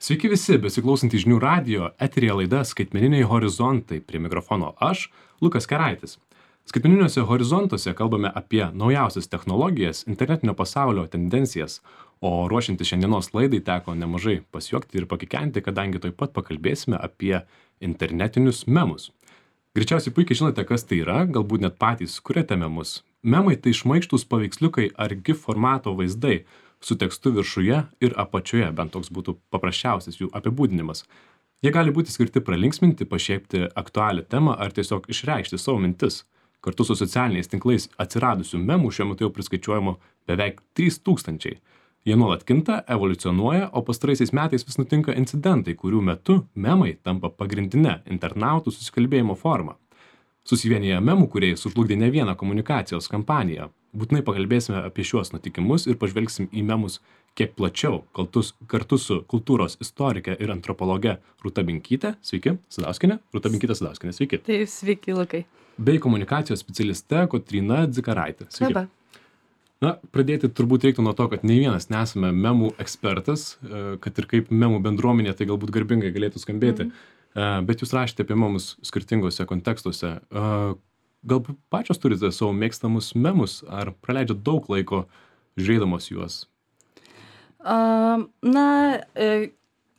Sveiki visi, besiklausantys žinių radijo, eteryje laida Skaitmeniniai horizontai. Prie mikrofono aš, Lukas Keraitis. Skaitmeniniuose horizontuose kalbame apie naujausias technologijas, internetinio pasaulio tendencijas, o ruošiantis šiandienos laidai teko nemažai pasijuokti ir pakikenti, kadangi taip pat pakalbėsime apie internetinius memus. Greičiausiai puikiai žinote, kas tai yra, galbūt net patys kuriate memus. Memai tai šmaikštūs paveiksliukai ar GIF formato vaizdai su tekstu viršuje ir apačioje, bent toks būtų paprasčiausias jų apibūdinimas. Jie gali būti skirti pralinksminti, pašiepti aktualią temą ar tiesiog išreikšti savo mintis. Kartu su socialiniais tinklais atsiradusių memų šiuo metu jau priskaičiuojama beveik 3000. Jie nuolat kinta, evoliucionuoja, o pastaraisiais metais vis nutinka incidentai, kurių metu memai tampa pagrindinė internautų susikalbėjimo forma. Susivienyje memų kūrėjai sužlugdė ne vieną komunikacijos kampaniją. Būtinai pakalbėsime apie šiuos nutikimus ir pažvelgsim į memus kiek plačiau, kartu su kultūros istorike ir antropologe Rūta Binkyte. Sveiki, Sadauskienė. Rūta Binkytė Sadauskienė, sveiki. Taip, sveiki, Lukai. Bei komunikacijos specialiste Kotryna Dzikaraitė. Sveiki. Labą. Na, pradėti turbūt reiktų nuo to, kad nei vienas nesame memų ekspertas, kad ir kaip memų bendruomenė tai galbūt garbingai galėtų skambėti. Bet jūs rašėte apie memus skirtingose kontekstuose. Galbūt pačios turite savo mėgstamus memus, ar praleidžiat daug laiko žiūrėdamos juos?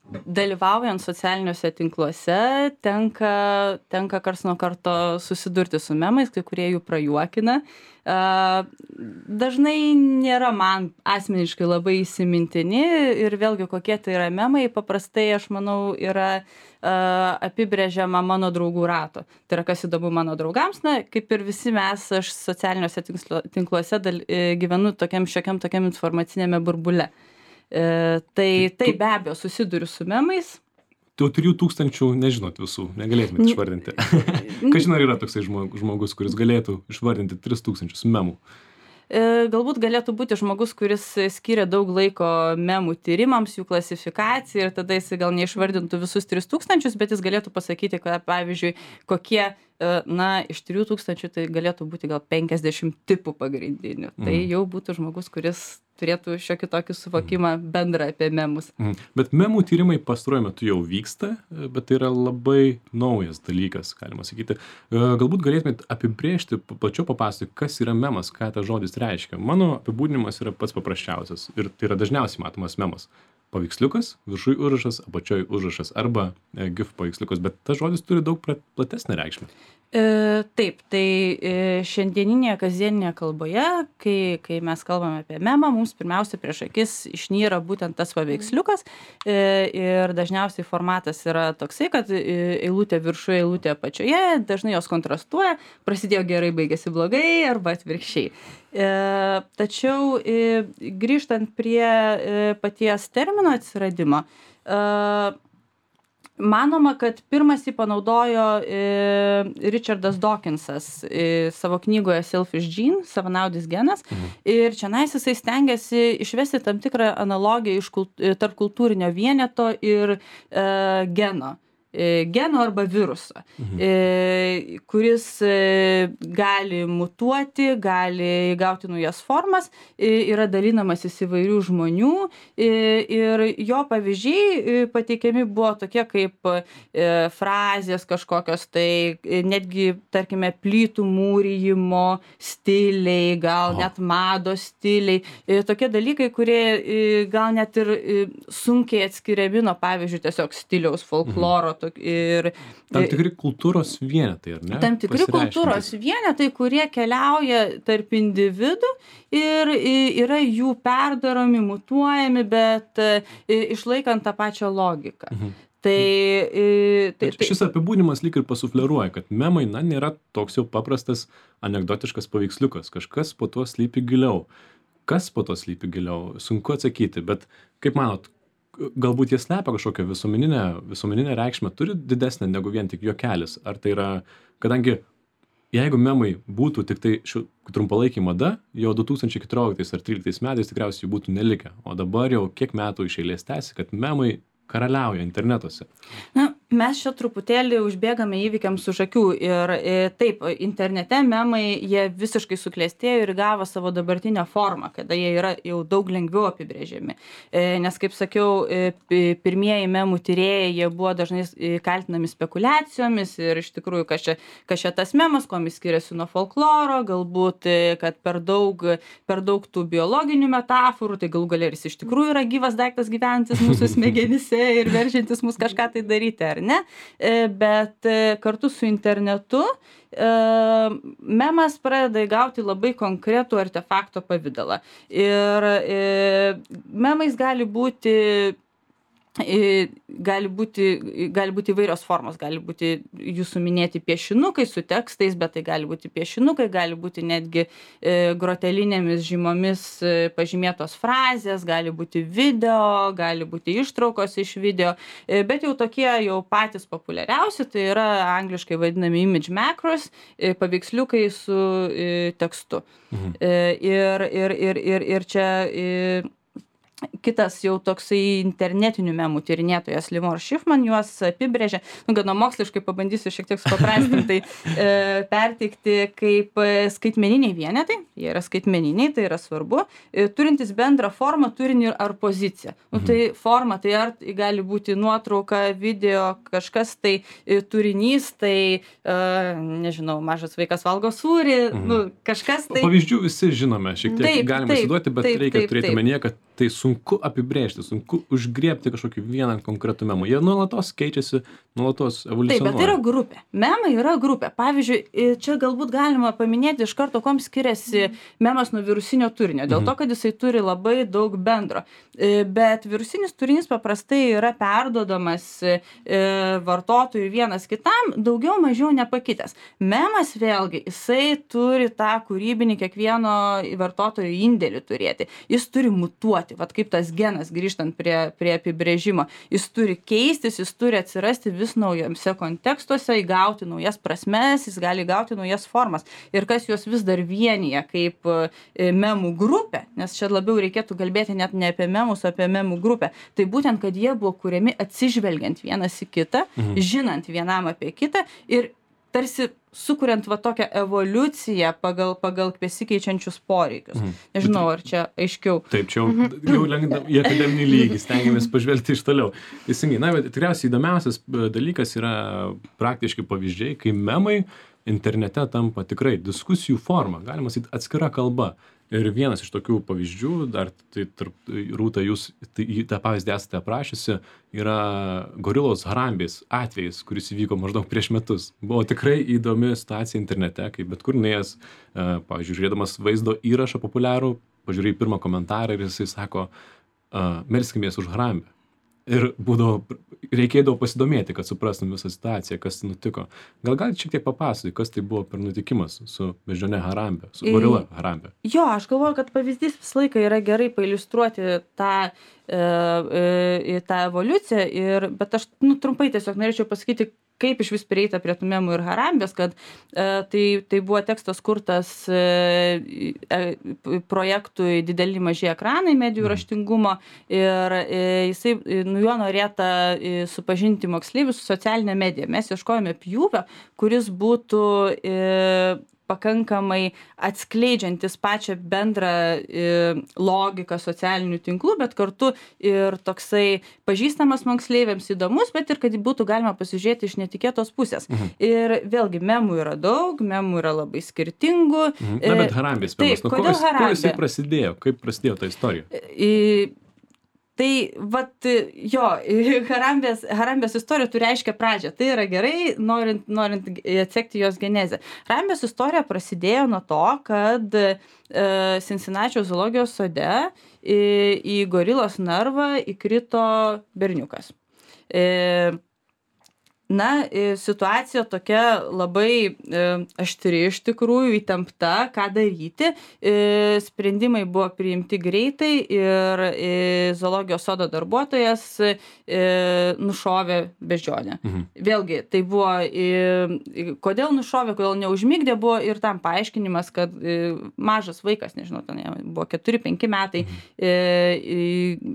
Dalyvaujant socialiniuose tinkluose tenka karts nuo karto susidurti su memais, kai kurie jų prajuokina. Dažnai nėra man asmeniškai labai įsimintini ir vėlgi kokie tai yra memai, paprastai aš manau yra apibrėžiama mano draugų rato. Tai yra kas įdomu mano draugams, kaip ir visi mes, aš socialiniuose tinkluose gyvenu tokiam informacinėme burbule. Tai be abejo susiduriu su memais. Tu 3000 nežinot visų, negalėtumėte išvardinti. Kažin ar yra toksai žmogus, kuris galėtų išvardinti 3000 memų? Galbūt galėtų būti žmogus, kuris skiria daug laiko memų tyrimams, jų klasifikacijai ir tada jis gal neišvardintų visus 3000, bet jis galėtų pasakyti, kad pavyzdžiui, kokie iš 3000 tai galėtų būti gal 50 tipų pagrindinių. Tai jau būtų žmogus, kuris turėtų šiokį tokį suvokimą bendrą apie memus. Bet memų tyrimai pastaruoju metu jau vyksta, bet tai yra labai naujas dalykas, galima sakyti. Galbūt galėtumėt apibrėžti, plačiau papasakoti, kas yra memas, ką tas žodis reiškia. Mano apibūdinimas yra pats paprasčiausias ir tai yra dažniausiai matomas memas. Paveiksliukas, viršuj užrašas, apačioj užrašas arba GIF paveiksliukas, bet tas žodis turi daug platesnę reikšmę. Taip, tai šiandieninėje kasdieninėje kalboje, kai mes kalbame apie memą, mums pirmiausia prieš akis išnyra būtent tas paveiksliukas ir dažniausiai formatas yra toksai, kad eilutė viršuje, eilutė apačioje, dažnai jos kontrastuoja, prasidėjo gerai, baigėsi blogai arba atvirkščiai. Tačiau grįžtant prie paties termino atsiradimo, manoma, kad pirmas jį panaudojo Richardas Dawkinsas savo knygoje Selfish Gene, savanaudis genas, ir čionais jisai stengiasi išvesti tam tikrą analogiją tarp kultūrinio vieneto ir geno arba viruso, kuris gali mutuoti, gali įgauti naujas formas, yra dalinamasis įvairių žmonių ir jo pavyzdžiai pateikiami buvo tokie kaip frazės kažkokios, tai netgi, tarkime, plytų mūrijimo stiliai, gal net mados stiliai, tokie dalykai, kurie gal net ir sunkiai atskiriami nuo, pavyzdžiui, tiesiog stiliaus, folkloro, ir tam tikri kultūros vienetai, ar ne? Tam tikri kultūros vienetai, kurie keliauja tarp individų ir yra jų perdaromi, mutuojami, bet išlaikant tą pačią logiką. Šis apibūdinimas lyg ir pasufleruoja, kad memai nėra toks jau paprastas anekdotiškas paveiksliukas, kažkas po to slypi giliau. Kas po to slypi giliau? Sunku atsakyti, bet kaip manot, galbūt jie slepia kažkokią visuomeninę reikšmę, turi didesnę negu vien tik juokelis. Ar tai yra, kadangi jeigu memai būtų tik tai trumpalaikiai mada, jau 2014 ar 2013 metais tikriausiai būtų nelikę. O dabar jau kiek metų iš eilės tęsi, kad memai karaliauja internetuose. Mes čia truputėlį užbėgame įvykiams už akių ir taip, internete memai, jie visiškai suklestėjo ir gavo savo dabartinę formą, kada jie yra jau daug lengviau apibrėžiami. Nes, kaip sakiau, pirmieji memų tyrėjai, jie buvo dažnai kaltinami spekulacijomis ir iš tikrųjų, kas čia tas memas, kuo jis skiriasi nuo folkloro, galbūt, kad per daug tų biologinių metaforų, tai galų gale ir jis iš tikrųjų yra gyvas daiktas gyventis mūsų smegenyse ir veržiantis mus kažką tai daryti, ar ne? Bet kartu su internetu memas pradeda įgauti labai konkretų artefakto pavidalą. Ir memais gali būti įvairios formos, gali būti jūsų minėti piešinukai su tekstais, bet tai gali būti piešinukai, gali būti netgi grotelinėmis žymomis pažymėtos frazės, gali būti video, gali būti ištraukos iš video, bet jau tokie jau patys populiariausi, tai yra angliškai vadinami image macros, paveiksliukai su tekstu. Ir čia kitas jau toksai internetinių memų tyrinėtojas Limor Schiffman juos apibrėžė, gana moksliškai pabandysiu šiek tiek supaprastintai perteikti kaip skaitmeniniai vienetai, jie yra skaitmeniniai, tai yra svarbu, turintis bendrą formą, turinį ar poziciją. Tai forma, tai ar gali būti nuotrauka, video, kažkas tai turinys, tai, nežinau, mažas vaikas valgo sūrį, kažkas tai. Pavyzdžių visi žinome, šiek tiek galime įsivaizduoti, bet reikia turėti omenyje, kad tai sunku apibrėžti, sunku užgriebti kažkokį vieną konkretų memą. Jie nuolatos keičiasi, nuolatos evoliucionuoja. Taip, bet tai yra grupė. Memai yra grupė. Pavyzdžiui, čia galbūt galima paminėti iš karto, kuom skiriasi memas nuo virusinio turinio. Dėl to, kad jisai turi labai daug bendro. Bet virusinis turinys paprastai yra perduodamas vartotojui vienas kitam, daugiau mažiau nepakitęs. Memas vėlgi, jisai turi tą kūrybinį kiekvieno vartotojo indėlį turėti. Jis turi mutuoti. Vat kaip tas genas, grįžtant prie apibrėžimo, jis turi keistis, jis turi atsirasti vis naujose kontekstuose, įgauti naujas prasmes, jis gali įgauti naujas formas. Ir kas juos vis dar vienyje kaip memų grupė, nes čia labiau reikėtų kalbėti net ne apie memus, o apie memų grupę, tai būtent, kad jie buvo kuriami atsižvelgiant vienas į kitą, žinant vienam apie kitą ir tarsi sukuriant va tokią evoliuciją pagal besikeičiančius poreikius. Nežinau, ar čia aiškiau. Taip, čia jau lengva į akademinį lygį, stengiamės pažvelgti iš toliau. Teisingai, na, bet tikriausiai įdomiausias dalykas yra praktiškai pavyzdžiai, kai memai internete tampa tikrai diskusijų forma, galima sakyti atskira kalba. Ir vienas iš tokių pavyzdžių, dar tai Rūta, jūs tą pavyzdį esate aprašiusi, yra gorilos Harambės atvejis, kuris įvyko maždaug prieš metus. Buvo tikrai įdomi situacija internete, kai bet kur nuėjęs, pavyzdžiui, žiūrėdamas vaizdo įrašą populiarų, pažiūrėjai pirmą komentarą ir jisai sako, melskimės už Harambę. Ir reikėdavo pasidomėti, kad suprastum visą situaciją, kas nutiko. Gal galite šiek tiek papasakoti, kas tai buvo per nutikimas su beždžione Harambė, su gorila Harambė? Jo, aš galvoju, kad pavyzdys visą laiką yra gerai pailiustruoti tą evoliuciją, bet aš trumpai tiesiog norėčiau pasakyti, kaip iš vis prieita prie tų memų ir Harambės, kad tai buvo tekstas kurtas projektui Dideli maži ekranai medijų raštingumo ir jisai juo norėta supažinti moksleivius su socialinė medija. Mes ieškojome pjūvio, kuris būtų pakankamai atskleidžiantis pačią bendrą logiką socialinių tinklų, bet kartu ir toksai pažįstamas moksleiviams įdomus, bet ir kad būtų galima pasižiūrėti iš netikėtos pusės. Ir vėlgi, memų yra daug, memų yra labai skirtingų. Na, bet Harambės memas, kuo jisai prasidėjo? Kaip prasidėjo ta istorija? Tai, vat, jo, Harambės istorija turi aiškią pradžią. Tai yra gerai, norint atsekti jos genezę. Harambės istorija prasidėjo nuo to, kad Cincinnati zoologijos sode į gorilos narvą įkrito berniukas. Situacija tokia labai aštri iš tikrųjų, įtempta, ką daryti. Sprendimai buvo priimti greitai ir zoologijos sodo darbuotojas nušovė beždžionę. Vėlgi, tai buvo, kodėl nušovė, kodėl neužmigdė, buvo ir tam paaiškinimas, kad mažas vaikas, nežinau, ten buvo 4-5 metai,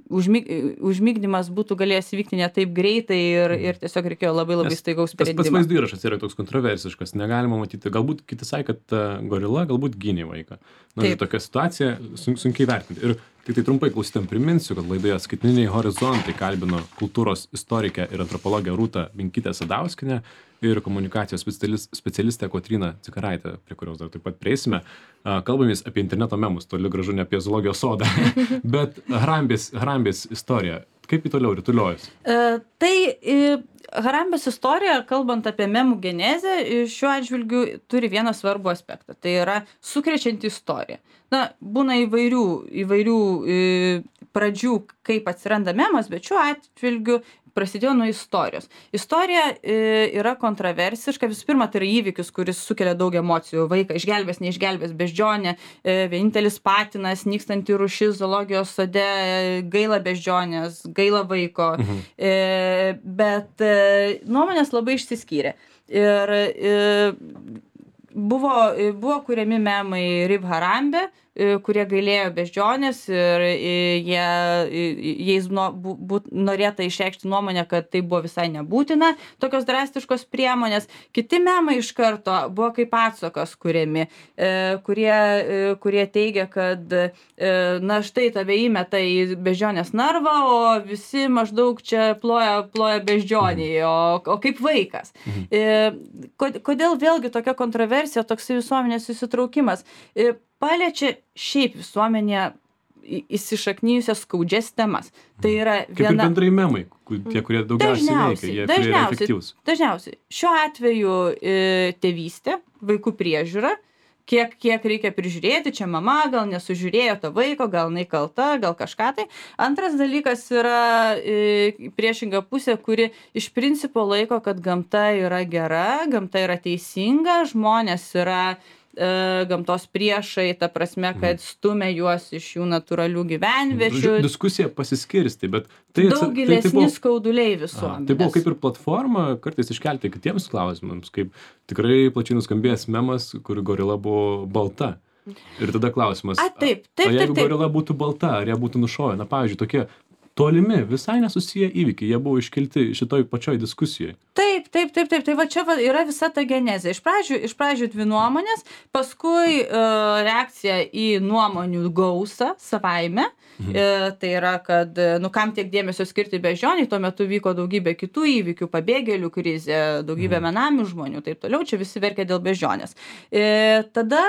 užmigdymas būtų galėjęs vykti ne taip greitai ir tiesiog reikėjo labai staigaus sprendimo. Tas pats vaizdo įrašas yra toks kontroversiškas, negalima matyti. Galbūt kiti sakė, kad gorila galbūt gynė vaiką. Tokia situacija sunkiai vertinti. Ir tik tai trumpai klausytėm priminsiu, kad laidoje Skaitmeniniai horizontai kalbino kultūros istorikę ir antropologę Rūtą Binkytę Sadauskienę ir komunikacijos specialistę Kotryną Cikaraitę, prie kurios dar taip pat prieisime. Kalbamės apie interneto memus, toli gražu ne apie zoologijos sodą, bet Harambės istorija. Kaip į toliau rutuliojus? Harambės istorija, kalbant apie memų genezę, šiuo atžvilgiu turi vieną svarbų aspektą. Tai yra sukrečianti istorija. Būna įvairių pradžių, kaip atsiranda memas, bet šiuo atžvilgiu prasidėjo nuo istorijos. Istorija yra kontroversiška. Visų pirma, tai yra įvykis, kuris sukelia daug emocijų. Vaiką išgelbės, neišgelbės, beždžionė, vienintelis patinas, nykstanti rūšis zoologijos sode, gaila beždžionės, gaila vaiko. Bet nuomonės labai išsiskyrė. Ir buvo kuriami memai Rib Harambė, kurie gailėjo beždžionės ir jais norėta išreikšti nuomonę, kad tai buvo visai nebūtina, tokios drastiškos priemonės. Kiti memai iš karto buvo kaip atsakas kuriami, kurie teigia, kad štai tave įmeta į beždžionės narvą, o visi maždaug čia ploja beždžioniai, o kaip vaikas. Kodėl vėlgi tokia kontroversija, toks visuomenės įsitraukimas? Paliečia šiaip visuomenė įsišaknyjusias skaudžias temas. Tai yra viena... Kaip ir bendrai memai, tie, kurie daugiausiai veikia, jie yra efektyvūs. Dažniausiai. Šiuo atveju tėvystė, vaikų priežiūra, kiek reikia prižiūrėti, čia mama gal nesužiūrėjo to vaiko, gal jinai kalta, gal kažką tai. Antras dalykas yra priešinga pusė, kuri iš principo laiko, kad gamta yra gera, gamta yra teisinga, žmonės yra gamtos priešai, ta prasme, kad stumia juos iš jų natūralių gyvenviečių. Diskusija pasiskirsti, bet tai... Daug gilesni skauduliai visuomenės. Tai buvo kaip ir platforma kartais iškelti kitiems klausimams, kaip tikrai plačiai nuskambėjęs memas, kur gorila buvo balta. Ir tada klausimas, jeigu gorila būtų balta, ar ją būtų nušovę? Pavyzdžiui, tokie tolimi, visai nesusiję įvykiai, jie buvo iškelti šitoj pačioj diskusijoje. Taip. Tai va čia yra visa ta genezė. Iš pradžių dvi nuomonės, paskui reakcija į nuomonių gausą savaime. Tai yra, kad kam tiek dėmesio skirti beždžioniai, tuo metu vyko daugybė kitų įvykių, pabėgėlių krizė, daugybė benamių žmonių, taip toliau, čia visi verkia dėl beždžionės. Tada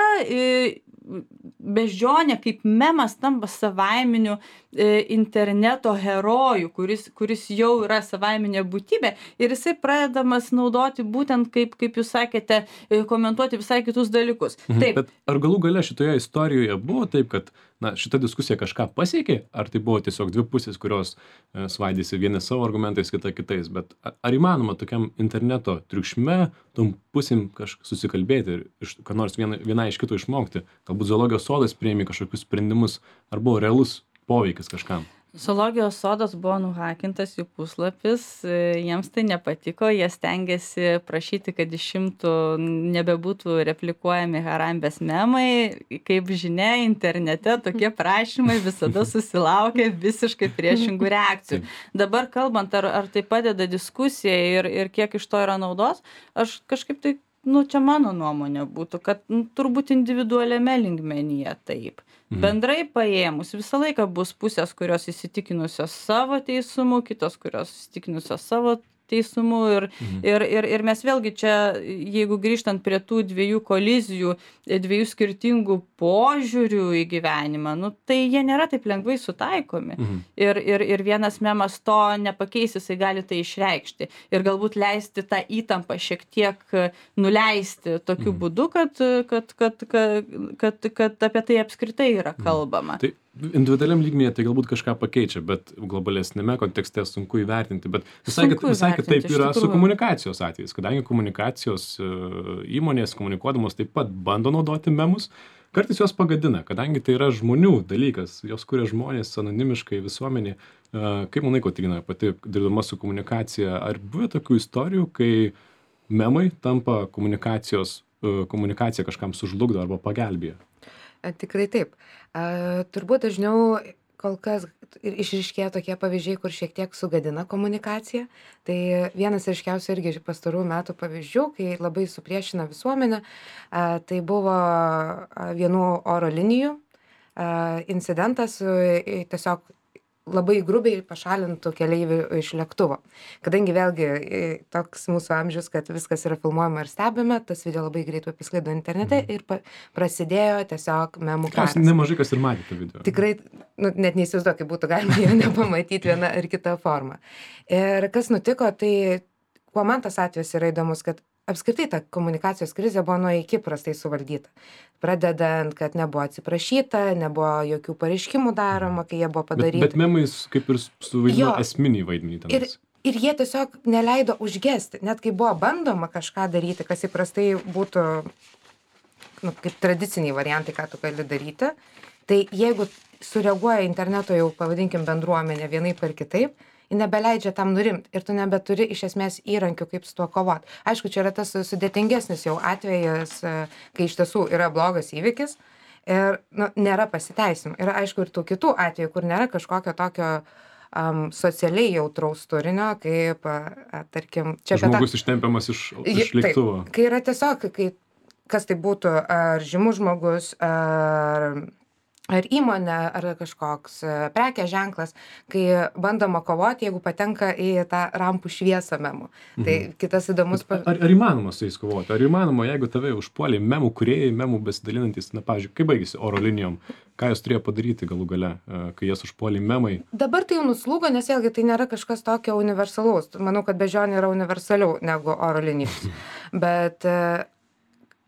beždžionė kaip memas tampa savaiminiu interneto herojų, kuris jau yra savaiminė būtybė ir jisai pradedamas naudoti būtent, kaip jūs sakėte, komentuoti visai kitus dalykus. Taip. Bet ar galų gale šitoje istorijoje buvo taip, kad šita diskusija kažką pasiekė, ar tai buvo tiesiog dvi pusės, kurios svaidėsi vieni savo argumentais, kita kitais, bet ar įmanoma tokiam interneto triukšme tom pusėm susikalbėti ir ką nors viena iš kito išmokti? Galbūt zoologijos sodas priėmė kažkokius sprendimus, ar buvo realus poveikis kažkam? Zoologijos sodas buvo nuhakintas jų puslapis, jiems tai nepatiko, jie stengiasi prašyti, kad išimtų nebebūtų replikuojami Harambės memai. Kaip žinia, internete tokie prašymai visada susilaukia visiškai priešingų reakcijų. Dabar kalbant, ar tai padeda diskusijai ir kiek iš to yra naudos, aš kažkaip tai, čia mano nuomonė būtų, kad turbūt individualiame lygmenyje taip. Bendrai paėmus visą laiką bus pusės, kurios įsitikinusios savo teisumu, kitos, kurios įsitikinusios savo teisumu ir mes vėlgi čia, jeigu grįžtant prie tų dviejų kolizijų, dviejų skirtingų požiūrių į gyvenimą, tai jie nėra taip lengvai sutaikomi. Ir vienas memas to nepakeis, jisai gali tai išreikšti ir galbūt leisti tą įtampą šiek tiek nuleisti tokiu būdu, kad apie tai apskritai yra kalbama. Tai individualiam lygmenyje tai galbūt kažką pakeičia, bet globalesnėme kontekste sunku įvertinti. Bet visai kitaip yra su komunikacijos atvejais, kadangi komunikacijos įmonės komunikuodamos taip pat bando naudoti memus, kartais jos pagadina, kadangi tai yra žmonių dalykas, jos kuria žmonės anonimiškai visuomenį. Kaip manai, Kotryna, pati dirbdama su komunikacija, ar buvo tokių istorijų, kai memai tampa komunikacija kažkam sužlugdo arba pagelbėja? Tikrai taip. Turbūt dažniau kol kas išryškėja tokie pavyzdžiai, kur šiek tiek sugadina komunikaciją. Tai vienas ryškiausių irgi pastarųjų metų pavyzdžių, kai labai supriešina visuomenę, tai buvo vienų oro linijų incidentas tiesiog labai grubiai pašalintų keleivių iš lėktuvo. Kadangi vėlgi toks mūsų amžius, kad viskas yra filmuojama ir stebime, tas video labai greitai pasklido internete ir prasidėjo tiesiog memų karas. Nemažai kas ir matė tą video. Tikrai, net neįsivaizduoju, kaip būtų galima jo nepamatyti vieną ar kitą formą. Ir kas nutiko, tai kuo man tas atvejis yra įdomus, kad apskritai ta komunikacijos krizė buvo nuo iki prastai suvaldyta. Pradedant, kad nebuvo atsiprašyta, nebuvo jokių pareiškimų daroma, kai jie buvo padaryti. Bet memais kaip ir suvaidino esminį vaidmenį tenais. Ir jie tiesiog neleido užgesti. Net kai buvo bandoma kažką daryti, kas įprastai būtų kaip tradiciniai variantai, ką tu gali daryti, tai jeigu sureaguoja interneto jau, pavadinkim, bendruomenė vienaip ar kitaip, nebeleidžia tam nurimti ir tu nebeturi iš esmės įrankių, kaip su tuo kovoti. Aišku, čia yra tas sudėtingesnis jau atvejas, kai iš tiesų yra blogas įvykis ir nėra pasiteisimų. Yra aišku ir tų kitų atvejų, kur nėra kažkokio tokio socialiai jautraus turinio, kaip, tarkim... Žmogus ištempiamas iš lėktuvo. Taip, kai yra tiesiog, kas tai būtų, ar žymus žmogus, ar įmonė, ar kažkoks prekės ženklas, kai bandoma kovoti, jeigu patenka į tą rampų šviesą memų. Tai kitas įdomus... Ar įmanoma su jais kovoti? Ar įmanoma, jeigu tave užpuolė memų kūrėjai, memų besidalinantis, pavyzdžiui, kaip baigėsi oro linijom, ką jos turėjo padaryti galų gale, kai jas užpuolė memai? Dabar tai jau nuslūgo, nes vėlgi tai nėra kažkas tokio universalaus. Manau, kad beždžionė yra universaliau negu oro linijos. Bet...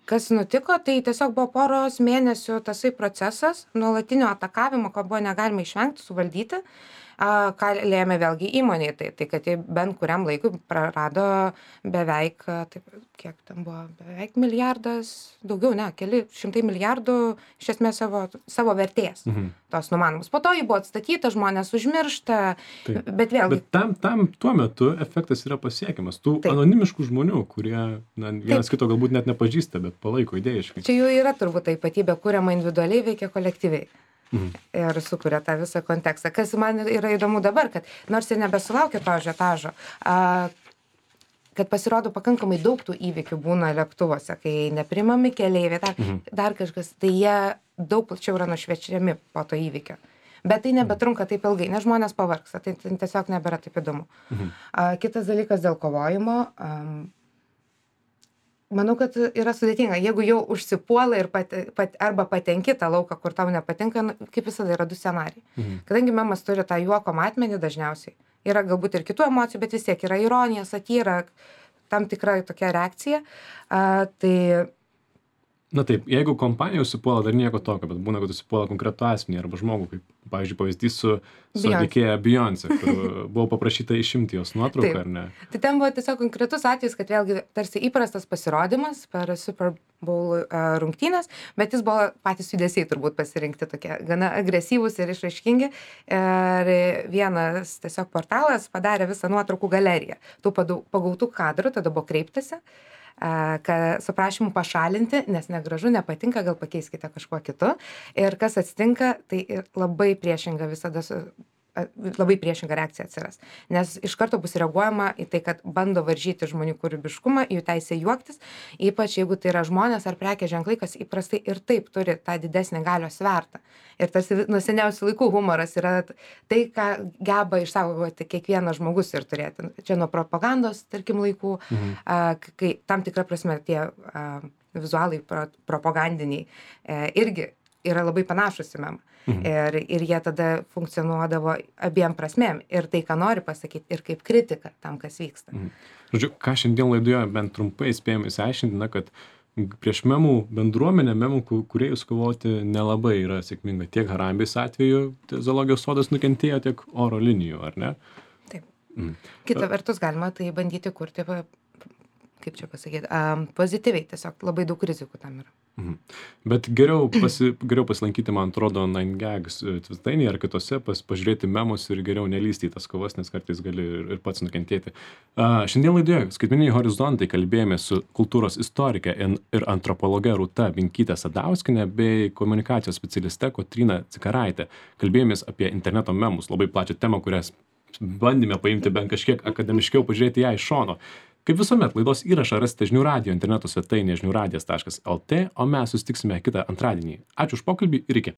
Kas nutiko, tai tiesiog buvo poros mėnesių tasai procesas, nuolatinio atakavimo, ko buvo negalima išvengti, suvaldyti, ką lėmė vėlgi įmonėje. Tai kad jie bent kuriam laikui prarado beveik, kiek ten buvo, beveik milijardas, daugiau, keli šimtai milijardų iš esmės savo vertės tos numanomos. Po to jį buvo atstatyta, žmonės užmiršta, bet vėlgi... Bet tam tuo metu efektas yra pasiekiamas. Tų anonimiškų žmonių, kurie vienas kito galbūt net nepažįsta, bet palaiko idėjiškai. Čia jau yra turbūt ta ypatybė, kuriama individualiai, veikia kolektyviai. Ir sukuria tą visą kontekstą. Kas man yra įdomu dabar, kad nors ir nebesulaukia to ažiotažo, kad pasirodo pakankamai daug tų įvykių būna lėktuvuose, kai neprimami keleiviai, dar kažkas, tai jie daug plačiau yra nušviečiami po to įvykio. Bet tai nebetrunka taip ilgai, nes žmonės pavargsta, tai tiesiog nebėra taip įdomu. Kitas dalykas dėl kovojimo. Manau, kad yra sudėtinga. Jeigu jau užsipuola ir arba patenki tą lauką, kur tau nepatinka, kaip visada yra du scenarijai. Kadangi memas turi tą juoko matmenį dažniausiai, yra galbūt ir kitų emocijų, bet vis tiek yra ironija, satyra, tam tikra tokia reakcija. Na taip, jeigu kompanija užsipuola, dar nieko tokio, bet būna, kad užsipuola konkretų asmenį arba žmogų, kaip, pavyzdžiui, pavyzdys su atlikėja Beyoncé, kur buvo paprašyta išimti jos nuotrauką, ar ne? Tai ten buvo tiesiog konkretus atvejis, kad vėlgi tarsi įprastas pasirodymas per Super Bowl rungtynės, bet jis buvo patys judesiai turbūt pasirinkti tokie gana agresyvūs ir išraiškingi. Ir vienas tiesiog portalas padarė visą nuotraukų galeriją. Tų pagautų kadrų tada buvo kreiptasi, su prašymu pašalinti, nes negražu, nepatinka, gal pakeiskite kažkuo kitu. Ir kas atsitinka, tai labai priešinga visada labai priešinga reakcija atsiras. Nes iš karto bus reaguojama į tai, kad bando varžyti žmonių kūrybiškumą, jų teisę juoktis, ypač jeigu tai yra žmonės ar prekės ženklai, kas įprastai ir taip turi tą didesnį galios svertą. Ir tas nuo seniausių laikų humoras yra tai, ką geba išsaugoti kiekvienas žmogus ir turėti. Čia nuo propagandos, tarkim, laikų, kai tam tikra prasme tie vizualai propagandiniai irgi yra labai panašus į memą. Ir jie tada funkcionuodavo abiem prasmėm. Ir tai, ką nori pasakyti, ir kaip kritika tam, kas vyksta. Žodžiu, ką šiandien laidoje bent trumpai spėjome įsiaiškinti, kad prieš memų bendruomenę, memų kūrėjus kovoti nelabai yra sėkminga. Tiek Harambės atveju zoologijos sodas nukentėjo, tiek oro linijų, ar ne? Taip. Kita vertus galima tai bandyti kurti, kaip čia pasakyti, pozityviai, tiesiog labai daug rizikų tam yra. Bet geriau pasilankyti, man atrodo, 9gags svetainėje ar kitose, pažiūrėti memus ir geriau nelysti į tas kovas, nes kartais gali ir pats nukentėti. Šiandien laidoje Skaitmeniniai horizontai kalbėjome su kultūros istorike ir antropologe Rūta Vinkyte Sadauskiene bei komunikacijos specialiste Kotryna Cikaraite. Kalbėjomės apie interneto memus, labai plačią temą, kurias bandėme paimti bent kažkiek akademiškiau, pažiūrėti ją iš šono. Kaip visuomet, laidos įrašą rasite žinių radijo interneto svetainėje žiniųradijas.lt, o mes susitiksime kitą antradienį. Ačiū už pokalbį ir iki.